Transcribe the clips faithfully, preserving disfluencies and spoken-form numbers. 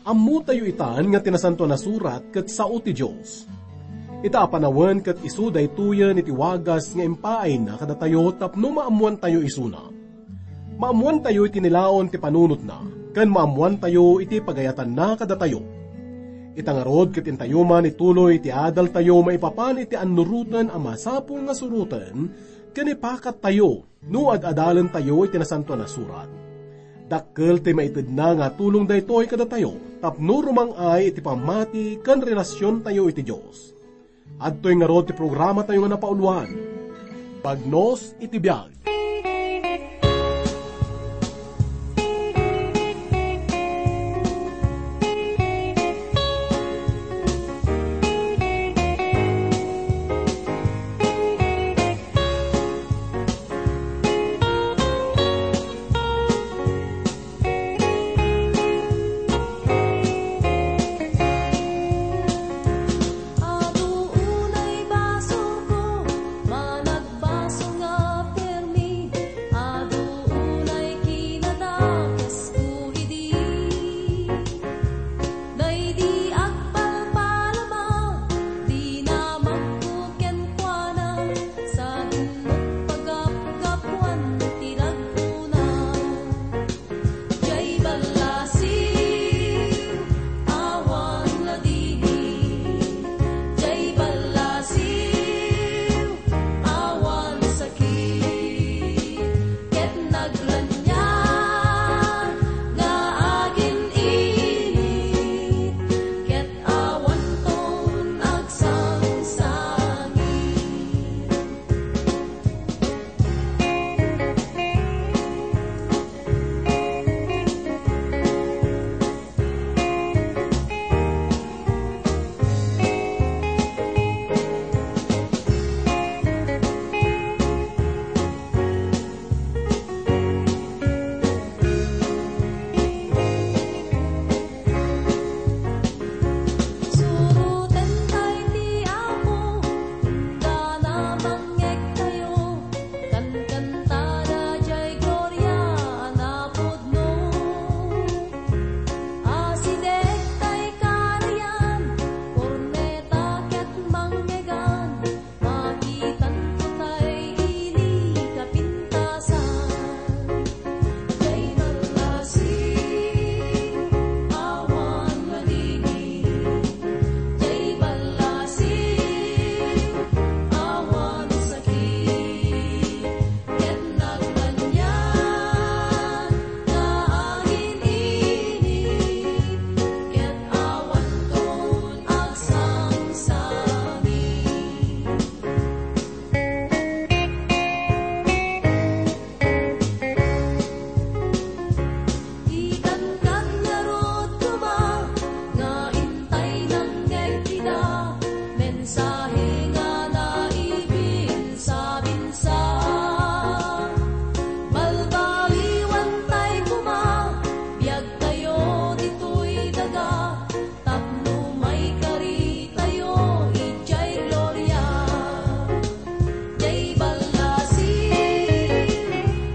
Ammotayo itan nga ti Nasantoan a Surat ket sao ti Dios. Ita a panawen ket isu daytoyen iti wagas nga impaayna kadatayo tapno maammoantayo isuna. Maammoantayo iti nilaon ti panunotna, ken maammoantayo iti pagayatanna kadatayo. Ita ngarud ket intayo man ituloy iti adaltayo maipapan iti annuroten a masapul nga suroten ken ipakattayo no ad-adalentayo iti Nasantoan a Surat. Dakkel ti maitedna nga tulong daytoy kadatayo tapno rumang-ay iti pammati ken relasiontayo iti Dios. Adtoy ngarud ti programatayo nga napauloan, Bagnos iti Biag. Adu unay basolko, managbaso nga permi. Adu unay kinadakesku idi. Daydi agpalpalama, dinamagko kenkuana, sadin pagapgapuan ti raggona. Jay ballasiw, awan ladingit. Jay ballasiw, awan sakit. Ket nagraniag nga agin-init. Ket awanton agsangsangit. Suroten tay ti Apo, inggana mangngegtayo, kankantada jay gloria a napudno. Asideg tay karian, korneta ket mangngeggan, makitanto tay ili kapintasan. Jay ballasiw, awan madingit. Jay ballasiw, awan sakit. Ket nagraniag nga agin-init. Ket awanton agsangsangit. Itan ngarud koma nga intay nangngeg ida, mensahe nga naibinsa-binsa. Balbaliwan tay koma, biagtayo ditoy daga, tapno maikaritayo idiay gloria. Jay ballasiw,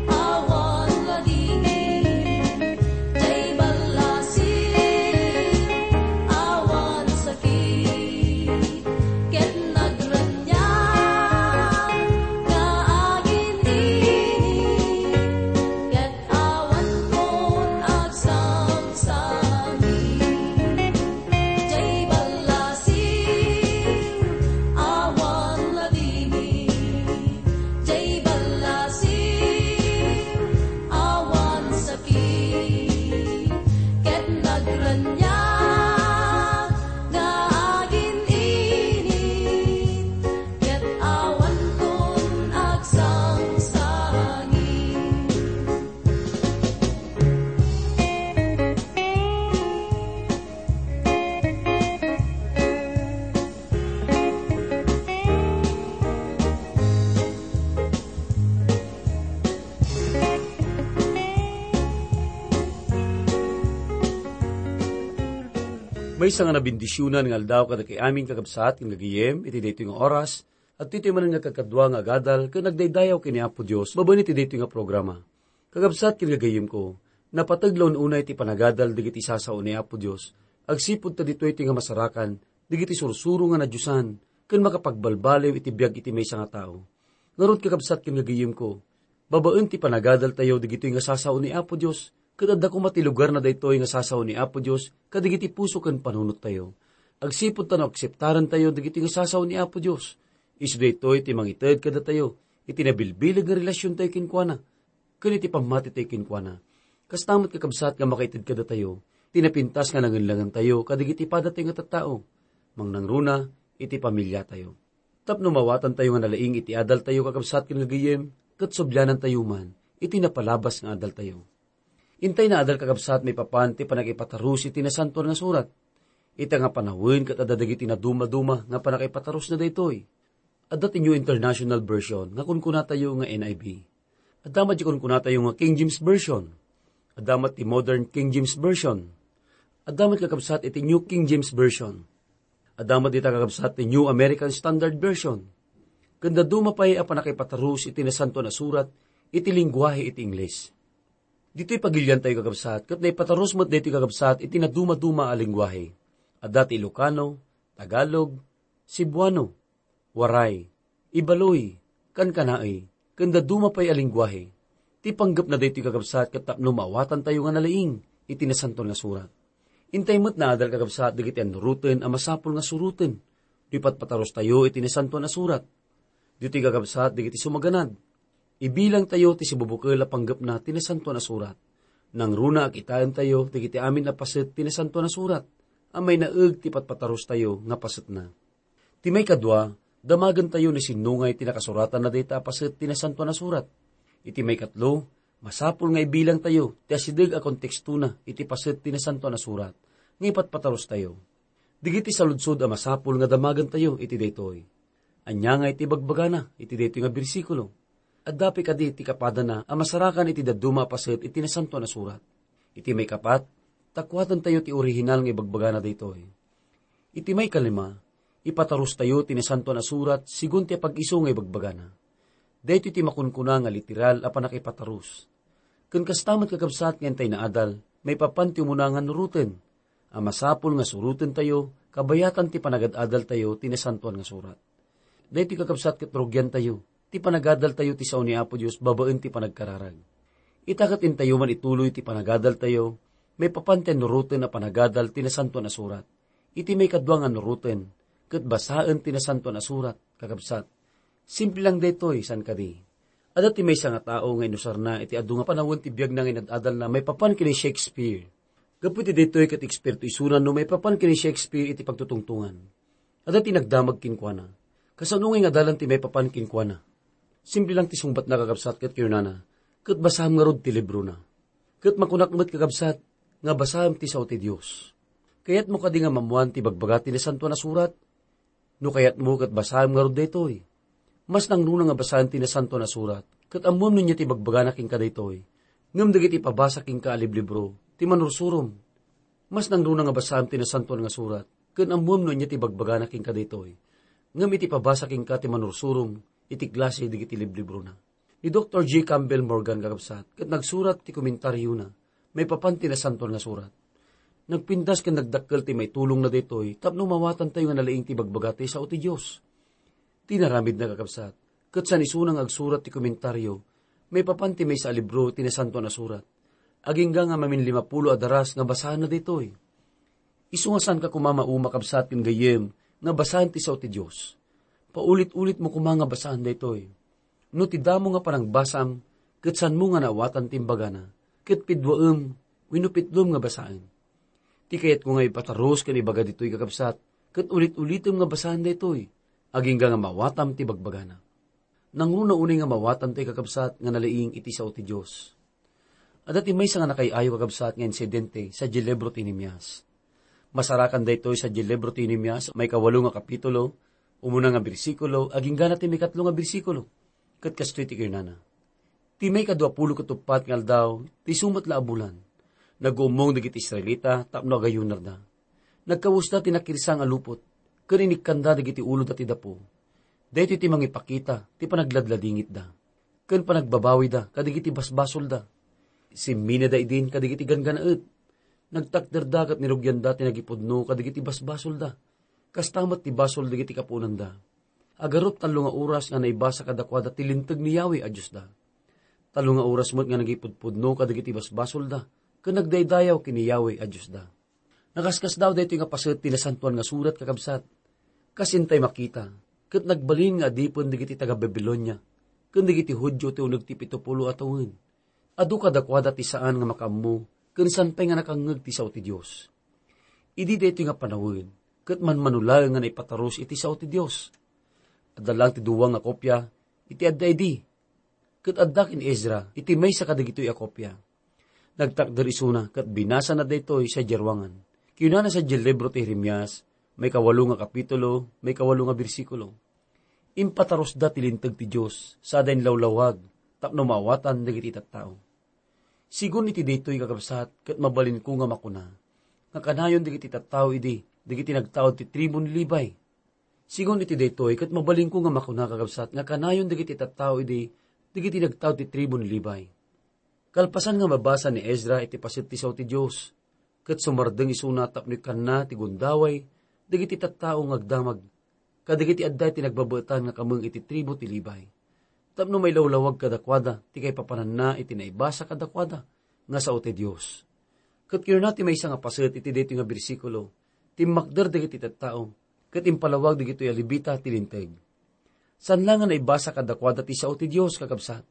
awan ladingit. Jay ballasiw, awan sakit. Ket nagraniag nga agin-init. Ket awanton agsangsangit. Jay ballasiw, awan ladingit. Jay ballasiw, awan sakit. Ket nagraniag nga agin-init. Ket awanton agsangsangit. Maysa nga nabendisionan nga aldaw kadagiti amin, kakabsat ken gagayyem, iti daytoy nga oras. Adtoy manen nga kakadua nga agadal ken agdaydayaw ken ni Apo Dios babaen iti daytoy nga programa. Kakabsat ken gagayyemko, Napateg la un-una iti panagadal dagiti sasao ni Apo Dios, agsipud ta ditoy ti nga masarakan dagiti sursuro nga nadiosan ken makapagbalbaliw iti biag iti maysa nga tao. Ngarud, kakabsat ken gagayemko, babaen ti panagadaltayo dagitoy nga sasao ni Apo Dios, ket adda koma ti lugarna daytoy nga sasao ni Apo Dios kadagiti puso ken panunottayo. Agsipud ta no akseptarantayo dagitoy nga sasao ni Apo Dios, isu daytoy ti mangited kadatayo iti nabilbileg nga relasiontayo kenkuana ken iti pammatitayo kenkuana. Kasta met, kakabsat, nga makaited kadatayo ti napintas nga nangenlangantayo kadagiti padatayo nga tattao, mangnangruna iti pamiliatayo. Tapno mawatantayo nga nalaing iti adaltayo, kakabsat ken gagayem, ket sublianantayo man iti napalabas nga adaltayo. Intay nga adal, kakabsat, maipapan ti panagipataros iti Nasantoan nga Surat. Ita nga panawen ket adda dagiti nadumaduma nga panakaipatarosna daytoy. Adda ti New International Version nga kunkunatayo nga N I V. Adda met ti kunkunatayo nga King James Version. Adda met ti Modern King James Version. Adda met, kakabsat, iti New King James Version. Adda met dita, kakabsat, ti New American Standard Version. Ken dadduma pay a panakipataros iti Nasantoan a Surat iti lengguahe iti Ingles. Ditoy pagiliantayo, kakabsat, ket naipataros met daytoy, kakabsat, iti nadumaduma a lengguahe. Adda ti Ilocano, Tagalog, Cebuano, Waray, Ibaloi, Kankanaey, ken dadduma pay a lengguahe. Ti panggepna daytoy, kakabsat, ket tapno maawatantayo nga nalaing iti Nasantoan nga Surat. Intay met nga adal, kakabsat, dagiti annuroten a masapul nga suroten no ipatpatarostayo iti Nasantoan a Surat. Ditoy, kakabsat, dagiti sumaganad, ibilangtayo ti sibubukel a panggepna ti Nasantoan a Surat. Nangruna a kitaentayo dagiti amin a paset ti Nasantoan a Surat a mainaeg ti patpatarostayo nga pasetna. Ti maikadua, damagentayo no sinno ngay ti nakasuratanna dayta a paset ti Nasantoan a Surat. Iti maikatlo, masapul nga ibilangtayo ti asideg a kontekstona iti paset ti Nasantoan a Surat nga ipatpatarostayo. Dagiti saludsod a masapul nga damagentayo iti daytoy: ania nga iti bagbagana iti daytoy nga bersikulo? Adda pay kadi ti kapadana a masarakan iti dadduma a paset iti Nasantoan a Surat? Iti maikapat, ta kuatentayo ti orihinal nga ibagbagana daytoy. Iti maikalima, ipatarostayo ti Nasantoan a Surat sigun ti apag-isu nga ibagbagana. Daytoy ti makunkuna nga literal a pannakipataros. Ken kasta met, kakabsat, nga intay nga adal, maipapan ti umuna nga annuroten a masapul nga surotentayo kabayatan ti panagad-adaltayo ti Nasantoan nga Surat. Daytoy, kakabsat, ket rugiantayo ti panagadaltayo ti sao ni Apo Dios babaen ti panagkararag. Ita ket intayo man ituloy ti panagadaltayo maipapan ti annuroten a panagadal ti Nasantoan a Surat. Iti maikadua nga annuroten, ket basaen ti Nasantoan a Surat, kakabsat. Simple lang daytoy, saan kadi? Adda ti maysa nga tao nga inusarna iti adu nga panawen ti biagna nga inad-adalna maipapan ken ni Shakespeare. Gapu iti daytoy ket eksperto isuna no maipapan ken ni Shakespeare iti pagtutungtongan. Adda ti nagdamag kenkuana. Kasano ngay nga adalan ti maipapan kenkuana? Simple lang ti sungbatna, kakabsat, ket kinunana, "Ket basaem ngarud ti librona." Ket makunak met, kakabsat, nga basaem ti sao ti Dios. Kayatmo kadi nga maammoan ti ibagbaga ti Nasantoan a Surat? No kayatmo, ket basaem ngarud daytoy. Mas nangruna nga basaen ti Nasantoan a Surat, ket ammoem no ania ti ibagbagana kenka daytoy. Ngem dagiti ipabasa kenka a liblibro ti manursurom. Mas nangruna nga basaem ti Nasantoan nga Surat, ket ammoem no ania ti ibagbagana kenka daytoy. Ngem iti ipabasa kenka ti manursurom iti klase dagiti liblibrona. Ni Doktor J. Campbell Morgan, kakabsat, ket nagsurat ti komentariona maipapan ti Nasantoan nga Surat. Nagpintas ken nagdakkel ti maitulongna daytoy tapno mawatantayo nga nalaing ti ibagbaga ti sao ti Dios. Ti inaramidna, kakabsat, ket saan isuna nga agsurat ti komentario maipapan ti maysa a libro ti Nasantoan a Surat, agingga nga maminlimapulo a daras nga basaenna daytoy. Isu nga saanka koma mauma, kabsat ken gayyem, nga basaen ti sao ti Dios. Paulit-ulitmo koma nga basaen daytoy. No ti damo nga panangbasam ket saanmo nga naawatan ti imbagana, ket piduaem wenno pitlom nga basaen. Ti kayatko nga ipatarus ken ibaga ditoy, kakabsat, ket ulit-ulitem nga basaen daytoy, agingga nga maawatam ti bagbagana. Nangruna unay nga maawatam ti, kakabsat, nga nalaing iti sao ti Dios. Adda ti maysa nga nakay-ayo, kakabsat, nga insidente sadiay libro ti Nehemias. Masarakan daytoy sadiay libro ti Nehemias, maikawalo nga kapitulo, umuna nga bersikulo, agingga ti maikatlo nga bersikulo. Ket kastoy ti kinunana: Ti maikaduapulo ket uppat nga aldaw, ti isu met la a bulan, naguummong dagiti Israelita tapno agayunarda. Nagkawesda ti nakirsa nga lupot, ken inikkanda dagiti uloda ti dapo. Daytoy ti mangipakita ti panagladladingitda ken panagbabawida kadagiti basbasolda. Simminada idin kadagiti ganggannaet. Nagtakderda ket nirugianda ti nagipudno kadagiti basbasolda. Kasta met ti basol dagiti kapuonanda. Agarup tallo nga oras nga naibasa kadakuada ti linteg ni Yahweh a Diosda. Tallo nga oras met nga nagipudpudno kadagiti basbasolda, ken nagdaydayaw ken ni Yahweh a Diosda. Nakaskasdaaw daytoy nga paset ti Nasantoan nga Surat, kakabsat. Kas intay makita, ket nagbalin nga adipen dagiti taga-Babilonia ken dagiti Judio ti uneg ti pito pulo a tawen. Adu kadakuada ti saan nga makaammo ken saan pay nga nakangngeg ti sao ti Dios. Idi daytoy nga panawen, ket manmano laeng nga naipatarus iti sao ti Dios. Adda laeng ti dua nga kopia iti adda idi, ket adda ken Ezra iti maysa kadagitoy a kopia. Nagtakder isuna ket binasana daytoy sadiay ruangan. Kinunana sadiay libro ti Jeremias, maikawalo nga kapitulo, maikawalo nga bersikulo. Impatarusda ti linteg ti Dios, sada inlawlawag, tapno maawatan dagiti tattao. Sigun iti daytoy, kakabsat, ket mabalinko nga makuna, nga kanayon dagiti tattao idi, dagiti nagtaud ti tribun Levi. Sigun iti daytoy, ket mabalinko nga makuna, kakabsat, nga kanayon dagiti tattao idi, dagiti nagtaud ti tribun Levi. Kalpasan nga mabasa ni Ezra iti paset ti sao ti Dios, ket sumardeng isuna tapno ikkanna ti gundaway dagiti tattao nga agdamag kadagiti adda iti nagbabaetan nga kameng iti tribu ti Levi, tapno mailawlawag kadakuada ti kaipapananna iti naibasa kadakuada nga sao ti Dios. Ket kinuna ti maysa nga paset iti daytoy nga bersikulo, timmakder dagiti tattao, ket impalawag dagitoy a Levita ti linteg. Saan la nga naibasa kadakuada ti sao ti Dios, kakabsat,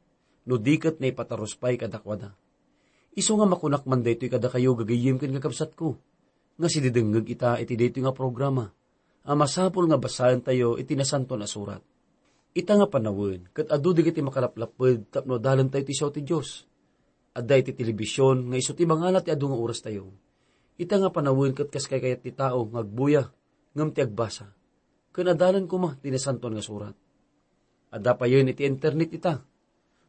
no di ket naipatarus pay kadakuada. Isu nga makunak man daytoy kadakayo, gagayyem ken kakabsatko, nga sididengngeg ita iti daytoy nga programa, a masapul nga basaentayo iti Nasantoan a Surat. Ita nga panawen, ket adu dagiti makalaplapped tapno adalentayo ti sao ti Dios. Adda iti telebision nga isu ti mangala ti adu nga orastayo. Ita nga panawen ket kas kaykayat ti tao nga agbuya, ngem ti agbasa. Ken adalan koma ti Nasantoan nga Surat. Adda payen iti internet ita.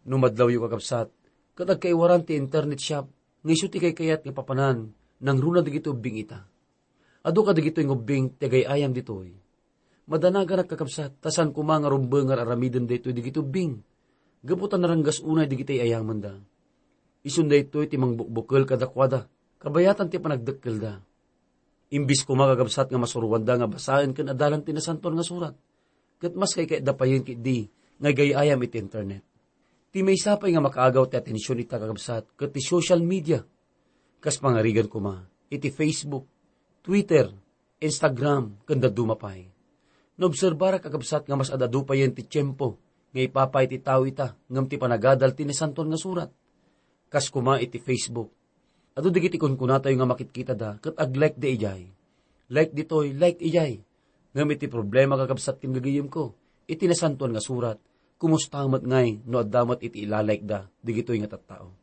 No madlawyo, kakabsat, ket agkaiwaran ti internet shop nga isu ti kaykayat nga papanan, nangruna dagiti ubbing ita. Adu kadagitoy nga ubbing ti agay-ayam ditoy. Madanaganak, kakabsat, ta saan koma nga rumbeng nga ar-aramiden daytoy dagiti ubbing, gapu ta naranggas unay dagiti ay-ayamenda. Isun daytoy ti mangbukbukel kadakuada, kabayatan ti panagdakkelda. Imbis koma, kakabsat, nga masuroanda nga basaen ken adalan ti Nasantoan nga Surat, ket mas kaykayatda payen ketdi nga igay-ayam iti internet. Ti maysa pay nga makaagaw ti atension ita, kakabsat, ket ti social media. Kas pangarigan koma, iti Facebook, Twitter, Instagram, ken dadduma pay. Naobserbarak, kakabsat, nga mas ad-adu payen ti tiempo nga ipapay ti tao ita ngem ti panagadal ti Nasantoan nga Surat. Kas koma iti Facebook. Adu dagiti kunkunatayo nga makitkitada ket ag-like da idiay. Like ditoy, like idiay. Ngem iti problema, kakabsat ken gagayyemko, iti Nasantoan nga Surat, kumusta met ngay no adda met iti ila-like da dagitoy nga tattao?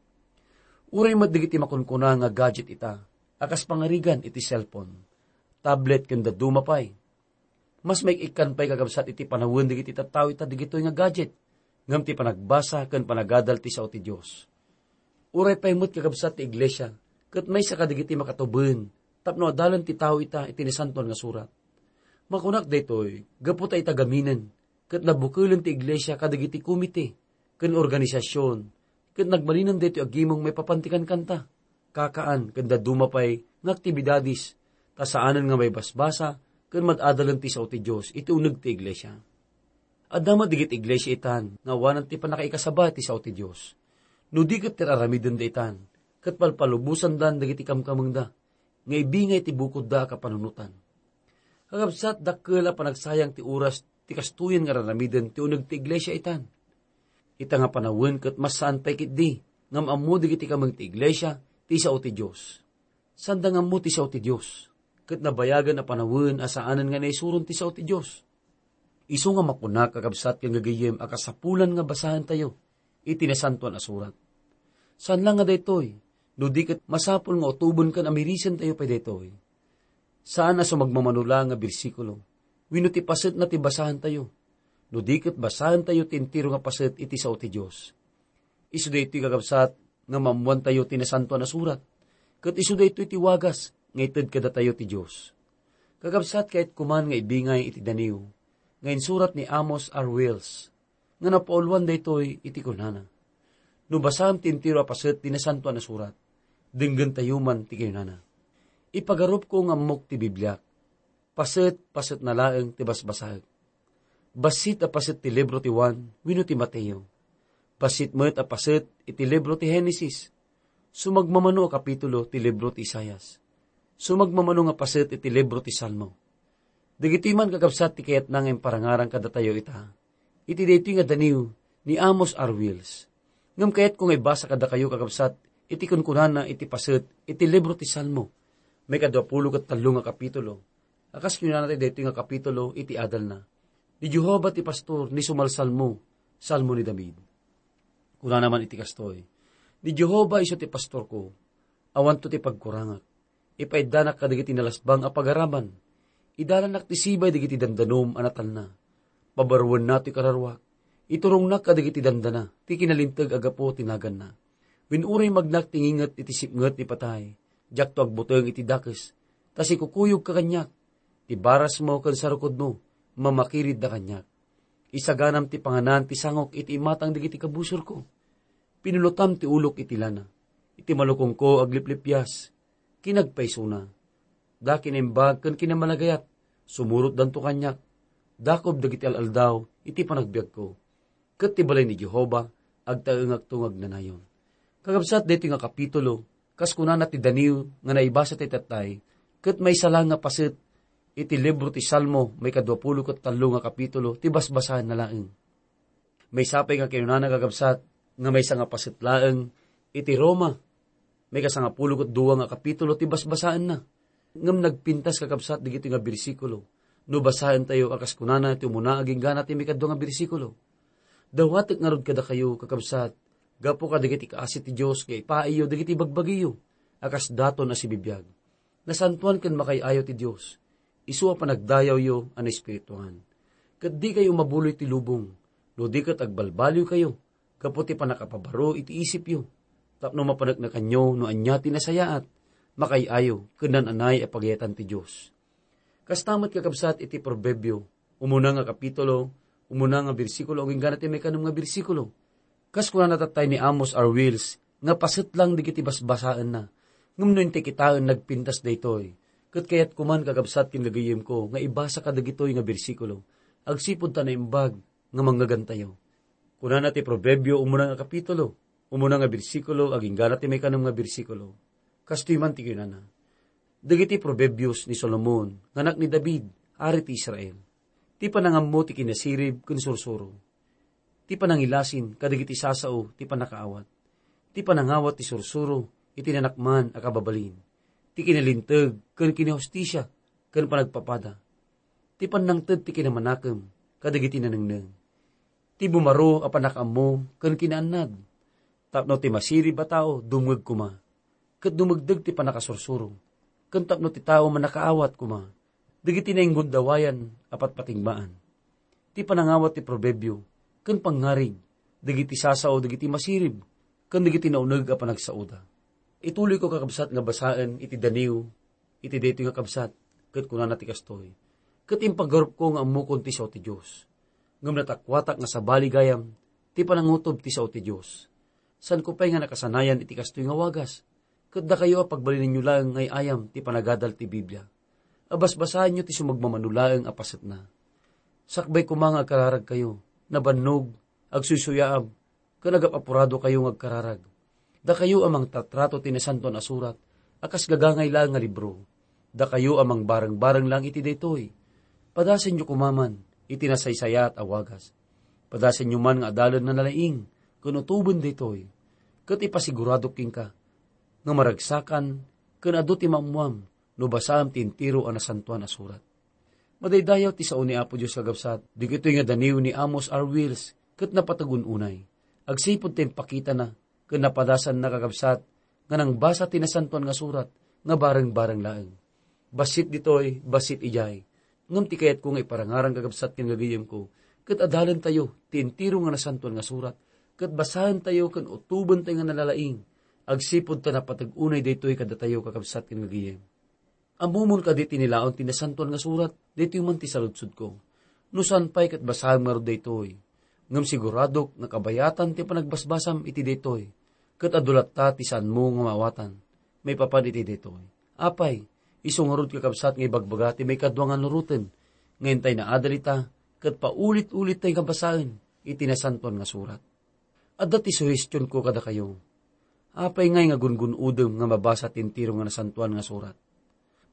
Uray met dagiti makunkuna nga gadget ita, a kas pangarigan iti cellphone, tablet ken dadduma pay. Mas maik-ikkan pay, kakabsat, iti panawen dagiti tattao ita dagitoy nga gadget, ngem ti panagbasa ken panagadal ti sao ti Dios. Uray pay met, kakabsat, ti iglesia ket maysa kadagiti makatuben tapno adalen ti tao ita iti Nasantoan nga Surat. Makunak daytoy gapu ta ita gaminen ket nabukelen ti iglesia kadagiti komite ken organisasion, ket nagbalinen daytoy agimong maipapan ti kankanta, kakaan, ken dadduma pay nga aktibidades, ta saanen nga maibasbasa ken mad-adalen ti sao ti Dios iti uneg ti iglesia. Adda met dagiti iglesia itan nga awanan ti pannakaikasaba ti sao ti Dios. No di ket ti ar-aramidenda itan, ket palpalubosandan dagiti kamkamengda nga ibingay ti bukodda a kapanunotan. Kakabsat, dakkel a panagsayang ti oras ti kastoyen nga ar-aramiden ti uneg ti iglesia itan. Ita nga panawen ket mas saan pay ketdi nga am-ammo dagiti kameng ti iglesia ti sao ti Dios. Saanda nga ammo ti sao ti Dios, ket nabayagen a panawen a saanen nga naisuron ti sao ti Dios. Isu nga makunak, kakabsat ken gagayyem, a kasapulan nga basaentayo iti Nasantoan a Surat. Saan la nga daytoy, no di ket masapul nga utoben ken amirisentayo pay daytoy. Saan a sumagmamano la nga bersikulo, wenno ti pasetna ti basaentayo, no di ket basaentayo ti entero nga paset iti sao ti Dios. Isu daytoy, kakabsat, nga maammoantayo ti Nasantoan a Surat, ket isu daytoy ti wagas nga ited kadatayo ti Dios. Kakabsat, kayatko man nga ibingay iti daniw nga insurat ni Amos R. Wells, nga napauluan daytoy iti kunana, No basaem ti entero a paset ti Nasantoan a Surat, denggentayo man ti kinunana. Ipagarupko nga ammok ti Bibliak. Paset, paset na laeng ti basbasaek. Bassit a paset ti libro ti Juan wenno ti Mateo. Bassit met a paset iti libro ti Genesis. Sumagmamano a kapitulo ti libro ti Isaias. Sumagmamano nga paset iti libro ti Salmo. Dagitoy man, kakabsat, ti kayatna nga imparangarang kadatayo ita, iti daytoy nga daniw ni Amos R. Wills. Ngem kayatko nga ibasa kadakayo, kakabsat, iti kunkunana iti paset iti libro ti Salmo, maikadua pulo ket tallo nga kapitulo. A kas kinunana ti daytoy nga kapitulo iti adalna, "Ni Jehovah ti pastor, ni sumalsalmo, salmo ni David." Kunana man iti kastoy, "Ni Jehovah isu ti pastorko, awanto ti pagkurangak. Ipaiddanak kadagiti nalasbang a pagaraman. Idalanak ti sibay dagiti dandanom a natalna. Pabaruenna ti kararuak. Iturongnak kadagiti dandana ti kinalinteg a gapu ti naganna. Wen uray magnak ti nginget iti sipnget ni patay, diakto agbuteng iti dakes, ta sikukuyogka kaniak. Ti barasmo ken sarukodmo, mamakiridda kaniak. Isaganam ti panganan ti sangok iti imatang dagiti kabusorko. Pinulotam ti ulok iti lana. Iti malukongko agliplipias, kinagpaysona. Da kinaimbag ken kinamalagayat, sumurotdanto kaniak. Dakob dagiti al-aldaw iti panagbiagko. Ket ti balay ni Jehovah, agtaengakto nga agnanayon." Kakabsat, daytoy nga kapitulo, kas kunana ti daniw nga naibasa ti tattay, ket maysa laeng nga paset iti libro ti Salmo, maikadua pulo ket tallo nga kapitulo, ti basbasaenna laeng. Maysa pay nga kinunana, kakabsat, nga maysa nga paset laeng iti Roma, maikasangapulo ket dua nga kapitulo ti basbasaenna. Ngem nagpintas, kakabsat, dagitoy nga bersikulo. No basaentayo a kas kunana ti umuna agingga ti maikadua nga bersikulo, "Dawatek ngarud kadakayo, kakabsat, gapu kadagiti kaasi ti Dios, nga ipaayyo dagiti bagbagiyo a kas daton a sibibiag. Nasantoan ken makaay-ayo ti Dios. Isu a panagdayawyo a naespirituan. Ket dikayo mabuloy ti lubong, no di ket agbalbaliwkayo gapu ti pannakapabaro iti isipyo, tapno mapaneknekanyo no ania ti nasayaat, makaay-ayo, ken naan-anay a pagayatan ti Dios." Kasta met, kakabsat, iti Proverbio, umuna nga kapitulo, umuna nga bersikulo, agingga ti maikanem nga bersikulo. Kas kunana tattay ni Amos R. Wills, nga paset lang dagiti basbasaenna. Ngem no intay kitaen, nagpintas daytoy. Ket kayatko man, kakabsat ken gagayemko, nga ibasa kadagitoy nga bersikulo. Agsipud ta naimbag nga mangngegentayo. Kunana ti Proverbio, umuna nga kapitulo, umuna nga bersikulo, agingga ti maikanem nga bersikulo. Kastoy man ti kinunana, dagiti Proverbios ni Solomon, nga anak ni David, ari ti Israel. Ti panangammo ti kinasirib ken sursuro. Ti panangilasin kadagiti sasao ti pannakaawat. Ti panangawat ti sursuro iti nanakman a kababalin. Ti kinalinteg ken kinahustisia ken panagpapada. Ti pannangted ti kinamanakem kadagiti nanengneng. Ti bumaro a pannakaammo ken kinaannad. Tapno ti masirib a tao dumngeg koma, ket dumegdeg ti pannakasursuro, ken tapno ti tao mannakaawat koma dagiti nainggundawayan a patpatingmaan. Ti panangawat ti proberbio ken pangngarig dagiti sasao dagiti masirib ken dagiti nauneg a panagsaoda. Ituloyko, kakabsat, nga basaen iti daniw iti daytoy nga kabsat, ket kunana ti kastoy, "Ket impagarupko nga ammokon ti sao ti Dios. Ngem natakuatak nga sabali gayam ti panangutob ti sao ti Dios. Saanko pay nga nakasanayan iti kastoy nga wagas, ket dakayo a pagbalinenyo laeng nga ay-ayam ti panagadal ti Biblia. Abasbasaenyo ti sumagmamano laeng a pasetna. Sakbay koma nga agkararagkayo, nabannog, agsuysuyaab, ken agap-apuradokayo nga agkararag. Dakayo a mangtatrato ti Nasantoan a Surat a kas gagangay laeng nga libro. Dakayo a mangbareng-bareng laeng iti daytoy. Padasenyo koma man iti nasaysayaat a wagas. Padasenyo man nga adalen nga nalaing ken utoben daytoy. Ket ipasiguradok kenka nga maragsakan ken adu ti maammoam no basaem ti entero a Nasantoan a Surat." Madaydayaw ti sao ni Apo Dios, kakabsat. Dagitoy nga daniw ni Amos R. Wills ket napateg un-unay. Agsipud ta impakitana ken napadasanna, kakabsat, nga nangbasa ti Nasantoan nga Surat nga bareng-bareng laeng. Bassit ditoy, bassit idiay. Ngem ti kayatko nga iparangarang, kakabsat ken gagayemko, ket adalentayo ti entero nga Nasantoan nga Surat, ket basaentayo ken utobentayo nga nalalaing, agsipud ta napateg unay daytoy kadatayo, kakabsat ken gagayem. Ammomon kadi ti nilaon ti Nasantoan nga Surat? Daytoy man ti saludsodko. No saan pay, ket basaem ngarud daytoy. Ngem siguradok nga kabayatan ti panagbasbasam iti daytoy, ket adu latta ti saanmo nga maawatan maipapan iti daytoy. Apay, isu ngarud, kakabsat, nga ibagbaga ti maikadua nga nuroten, nga intay naadal ita, ket paulit-ulittay nga basaen iti Nasantoan nga Surat. Adda ti suhestionko kadakayo. Apay ngay nga gungun-odem nga mabasa ti entero nga Nasantoan nga Surat?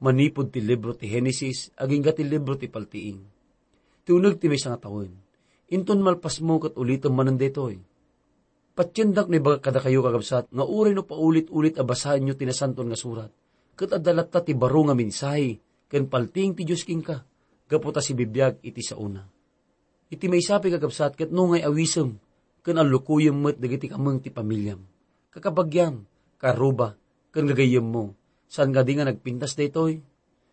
Manipud ti libro ti Genesis agingga ti libro ti Paltiing. Ti uneg ti maysa nga tawen. Inton malpasmo ket ulitem manen daytoy. Patiendak no ibagak kadakayo, kakabsat, nga uray no paulit-ulit a basaenyo ti Nasantoan nga Surat, ket adda latta ti baro nga mensahe ken paltiing ti Dios kenka, gapu ta sibibiag iti saona. Iti maysa pay, kakabsat, ket no ngay awisem ken allukoyem met dagiti kameng ti pamiliam, kakabagiam, karuba, ken gagayyemmo, saan nga di nga nagpintas daytoy?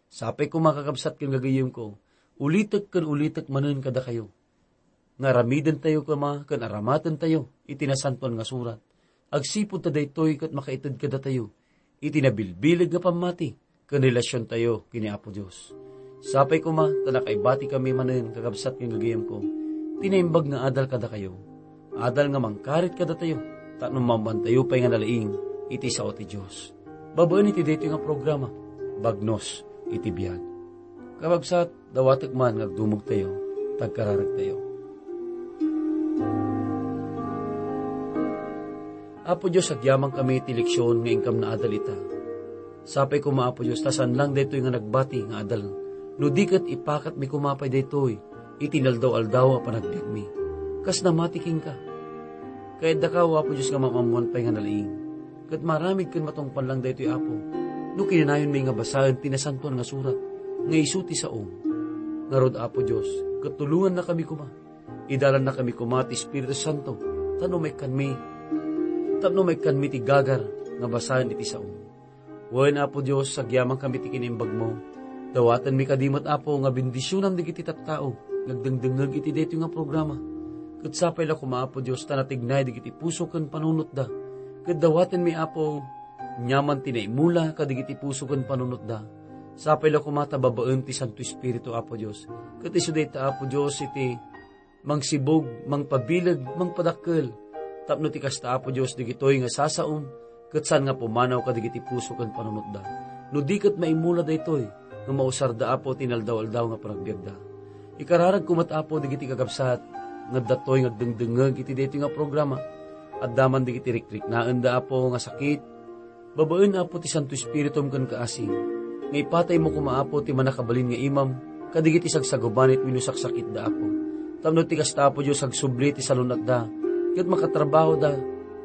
Sapay koma, kakabsat ken gagayyemko, ulitek ken ulitek manen kadakayo nga aramidentayo koma ken aramatentayo iti Nasantoan nga Surat, agsipud ta daytoy ket makaited kadatayo iti nabilbileg nga pammati ken relasiontayo ken ni Apo Dios. Sapay koma ta nakaibatikami manen, kakabsat ken gagayyemko, ti naimbag nga adal kadakayo, adal nga mangkarit kadatayo tapno maammoantayo pay nga nalaing iti sao ti Dios. Babaen iti daytoy nga programa, Bagnos iti Biag. Kakabsat, dawatek man nga agdumogtayo, tagkararagtayo. Apo Dios, agyamankami iti leksion nga inkam naadal ita. Sapay koma, Apo Dios, ta saan lang daytoy nga nagbati nga adal, no di ket ipakatmi koma pay daytoy iti inaldaw-aldaw a panagbiagmi, kas namati kenka. Kayaddaka, O Apo Dios, nga maammoan pay nga nalaing, ket maaramid ken matungpal lang daytoy, Apo, no kinanayonmi nga basaen ti Nasantoan nga Surat nga isu ti saom. Ngarud, Apo Dios, ket tulongannakami koma. Idalannakami koma ti Espiritu Santo, tapno maikkanmi, tapno maikkanmi ti gagar nga basaen iti saom. Wen, Apo Dios, agyamankami ti kinaimbagmo. Dawatenmi kadi met, Apo, nga bendisionam dagiti tattao nga agdengdengngeg iti daytoy nga programa. Ket sapay la koma, Apo Dios, ta natignay dagiti puso ken panunotda. Ket dawatenmi, Apo, aniaman ti naimula kadagiti puso ken panunotda. Sapay la koma ta babaen ti Santo Espiritu, Apo Dios. Ket isu dayta, Apo Dios, iti mangsibug, mangpabileg, mangpadakkel. Tapno ti kasta, Apo Dios, dagitoy nga sasaom, ket saan nga pumanaw kadagiti puso ken panunotda. No di ket maimula daytoy, nga mausarda, Apo, ti inaldaw-aldaw nga panagbiagda. Ikararagko met, Apo, dagiti kakabsat nga adda toy nga agdengdengngeg iti daytoy nga programa. Adda man dagiti rikriknaenda, Apo, nga sakit, babaen, Apo, ti Santo Espiritum ken kaasi, nga ipataymo koma, Apo, ti mannakabalin nga imam kadagiti sagsagubanit wenno saksakitda, Apo. Tapno ti kasta, Apo Dios, agsubli ti salun-atda, ket makatrabahoda,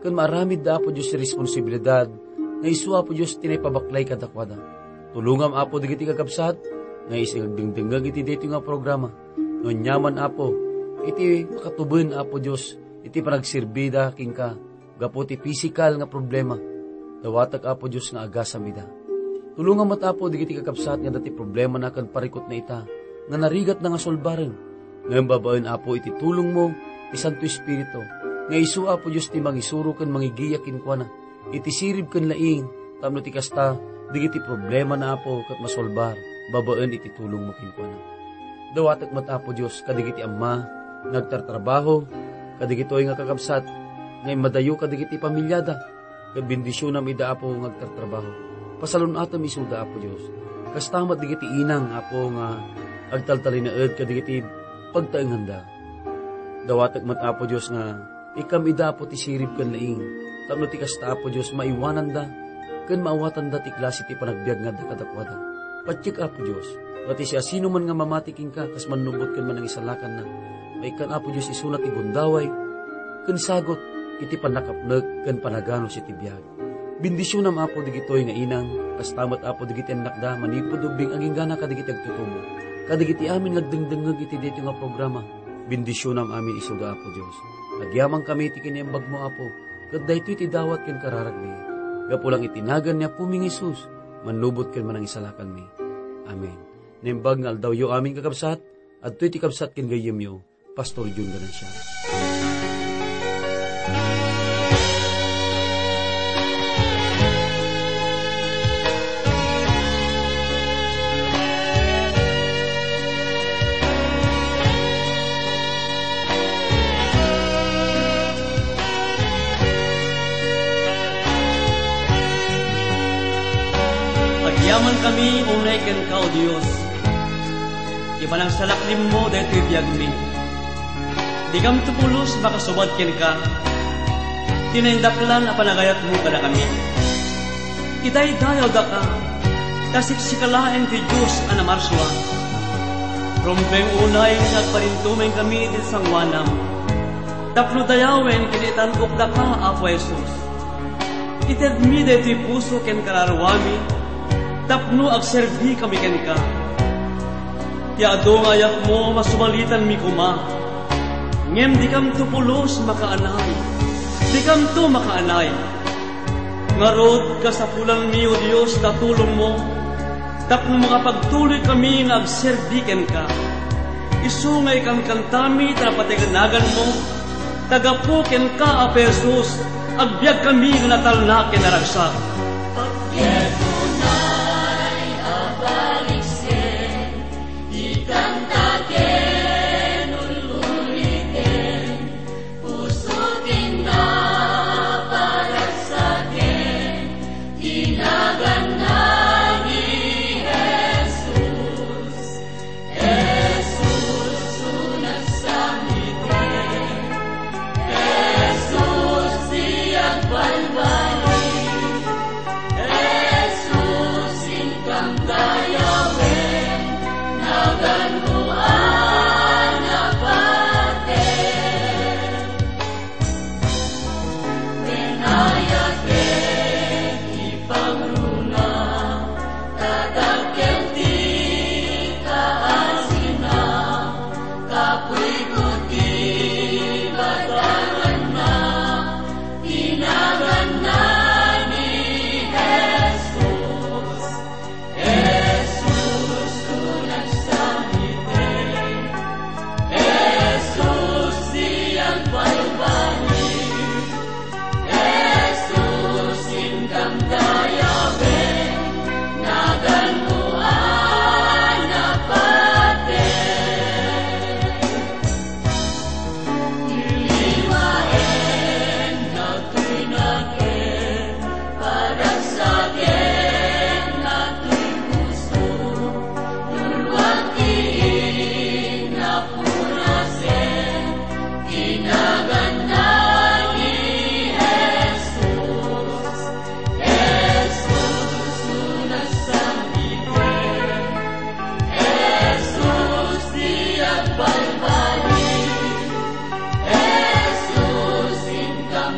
ken maaramidda, Apo Dios, ti responsibilidad nga isu, Apo Dios, ti naipabaklay kadakuada. Tulongam, Apo, dagiti kakabsat nga isig agdengdengngeg iti daytoy nga programa. No aniaman, Apo, iti makatuben, Apo Dios, iti panagserbida kenka, gapu ti pisikal nga problema, dawatek, Apo Dios, nga agasam ida. Tulongam met, Apo, dagiti kakabsat nga adda ti problemana ken parikutna ita nga narigatna nga sulbaren. Ngem babaen, Apo, iti tulongmo ti Santo Espiritu, nga isu, Apo Dios, ti mangisuro ken mangigiya kenkuana iti sirib ken laing, tapno ti kasta, dagiti problemana, Apo, ket masolbar babaen iti tulongmo kenkuana. Dawatek met, Apo Dios, kadagiti amma nga agtartrabaho, kadagitoy nga kakabsat nga immadayo kadagiti pamiliada, ket bendisionam ida, Apo, nga agtartrabaho. Pasalun-atem isuda, Apo Dios. Kasta met dagiti inang, Apo, nga agtaltalinaed kadagiti pagtaenganda. Dawatek met, Apo Dios, nga ikkam ida, Apo, ti sirib ken laing, tapno ti kasta, Apo Dios, maiwananda ken maawatanda ti klase ti panagbiag nga adda kadakuada. Patiek, Apo Dios, nga ti siasinoman nga mamati kenka kas mannubot ken manangisalakanna, maikkan, Apo Dios, isuna ti gundaway ken sagut iti pannakapnek ken panaganus iti biag. Bendisionam, Apo, dagitoy nga inang, kasta met, Apo, dagiti annakda manipud ubbing agingga kadagiti agtutubo, kadagiti amin nga agdengdengngeg iti daytoy nga programa. Bendisionam amin isuda, Apo Dios. Agyamankami iti kinaimbagmo, Apo, ket daytoy ti dawat ken kararagmi. Gapu lang iti nagan ni Apomi nga Jesus, mannubot ken manangisalakanmi. Amen. Naimbag nga aldawyo amin, kakabsat, adtoy ti kabsat ken gayyemyo, Pastor Jun Ganancia. Aman kami unay kenka, O Dios, ti panangsalaklimmo daytoy biagmi. Dikamto pulos makasubad kenka. Ti naindaklan a panagayatmo kadakami. Idaydayawdaka, ta siksika laeng ti Dios a namarsuan. Rumbeng unay nga agparintumeng kami iti sangoanam, tapno dayawen ken itan-okdaka, Apo Jesus. Itedmi daytoy puso ken kararuami tapno agserbikami kenka. Ti adu nga ayatmo, masumalitanmi koma. Ngem dikamto pulos makaanay. Dikamto makaanay. Ngarud, kasapulanmi, O Dios, ta tulongmo, tapno makapagtuloykami nga agserbi kenka. Isu nga ikankantami ta napateg a naganmo, ta gapu kenka, Apo Jesus, agbiagkami nga natalna ken naragsak. Pagyetunay a baliksen, ikanta ken ululiten, puso ken naparagsaken, ti naganna ni Jesus. Jesus, unagsamiten. Jesus, ti agbalbaliw. Jesus, inkam dayawen. Naganmo a napater. Wen ayat ket ti pangruna, tatakkel ti kaasina, kapuy ko ti badanganna, ti naganna ni Jesus. Jesus, unagsamiten. Jesus, ti agbalbaliw. Jesus, inkam dayawen. Naganmo a napater. Liwaen, nagtuy naken, paragsaken, nagtuy puso, nuluak ti innapunasen, ti naganna ni Jesus. Jesus, unagsamiten. Jesus, ti agbalbaliw. Jesus, inkam